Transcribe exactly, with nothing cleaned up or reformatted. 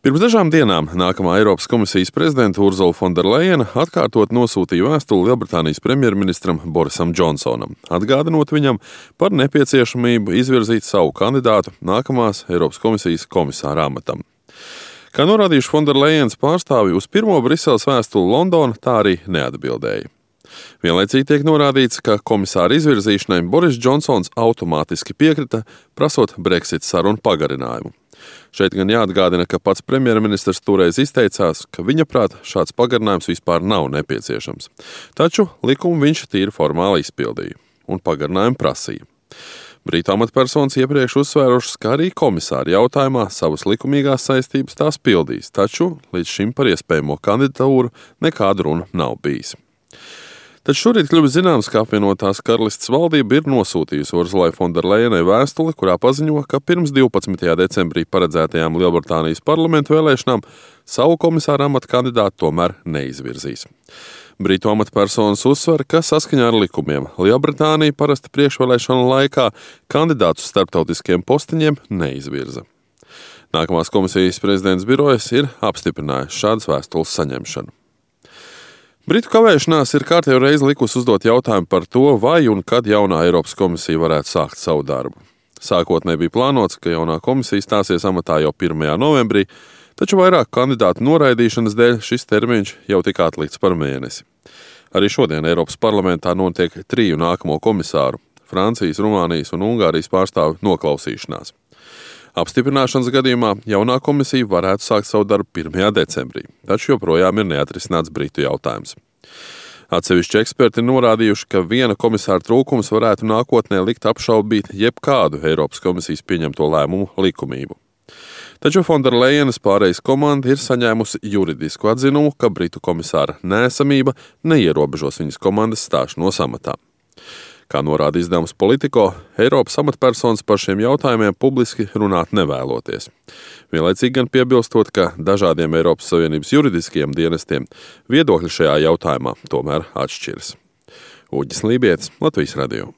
Pirms dažām dienām nākamā Eiropas komisijas prezidenta Urzula Fonderlejena atkārtot nosūtīja vēstuli Lielbritānijas premjerministram Borisam Džonsonam, atgādinot viņam par nepieciešamību izvirzīt savu kandidātu nākamās Eiropas komisijas komisāra amatam. Kā norādījuši Fonderlejenas pārstāvji, uz pirmo Briseles vēstuli Londona tā arī neatbildēja. Vienlaicīgi tiek norādīts, ka komisāra izvirzīšanai Boris Džonsons automātiski piekrita, prasot Brexit sarunu pagarinājumu. Šeit gan jāatgādina, ka pats premjerministrs toreiz izteicās, ka viņa prāt šāds pagarinājums vispār nav nepieciešams. Taču likumu viņš tīri formāli izpildīja un pagarinājumu prasīja. Brītu amatpersonas iepriekš uzsvērušas, ka arī komisāri jautājumā savas likumīgās saistības tās pildīs, taču līdz šim par iespējamo kandidatūru nekāda runa nav bijis. Taču šorīt kļuvis zināms, ka apvienotās karalistes valdība ir nosūtījusi Urzulai Fonderlejenai vēstuli, kurā paziņo, ka pirms divpadsmitajā decembrī paredzētajām Lielbritānijas parlamentu vēlēšanām savu komisāra amata kandidātu tomēr neizvirzīs. Britu amatpersonas uzsver, ka saskaņā ar likumiem Lielbritānija parasti priekšvēlēšanu laikā kandidātus starptautiskiem postiņiem neizvirza. Nākamās komisijas prezidents birojas ir apstiprinājis šādas vēstules saņemšanu. Britu kavēšanās ir kārtējo reizi likusi uzdot jautājumu par to, vai un kad jaunā Eiropas komisija varētu sākt savu darbu. Sākotnēji bija plānots, ka jaunā komisija stāsies amatā jau pirmajā novembrī, taču vairāk kandidātu noraidīšanas dēļ šis termiņš jau tika atlikts par mēnesi. Arī šodien Eiropas parlamentā notiek triju nākamo komisāru – Francijas, Rumānijas un Ungārijas pārstāvu noklausīšanās. Apstiprināšanas gadījumā jaunā komisija varētu sākt savu darbu pirmajā decembrī, taču joprojām ir neatrisināts Britu jautājums. Atsevišķi eksperti norādījuši, ka viena komisāra trūkums varētu nākotnē likt apšaubīt jebkādu Eiropas komisijas pieņemto lēmumu likumību. Taču Fonderlejenas pārējais komanda ir saņēmusi juridisku atzinumu, ka Britu komisāra neesamība neierobežos viņas komandas stāšanos amatā. Kā norāda izdevums Politico, Eiropas amatpersonas par šiem jautājumiem publiski runāt nevēloties. Vienlaicīgi gan piebilstot, ka dažādiem Eiropas Savienības juridiskajiem dienestiem viedokļi šajā jautājumā tomēr atšķiras. Uģis Lībietis, Latvijas radio.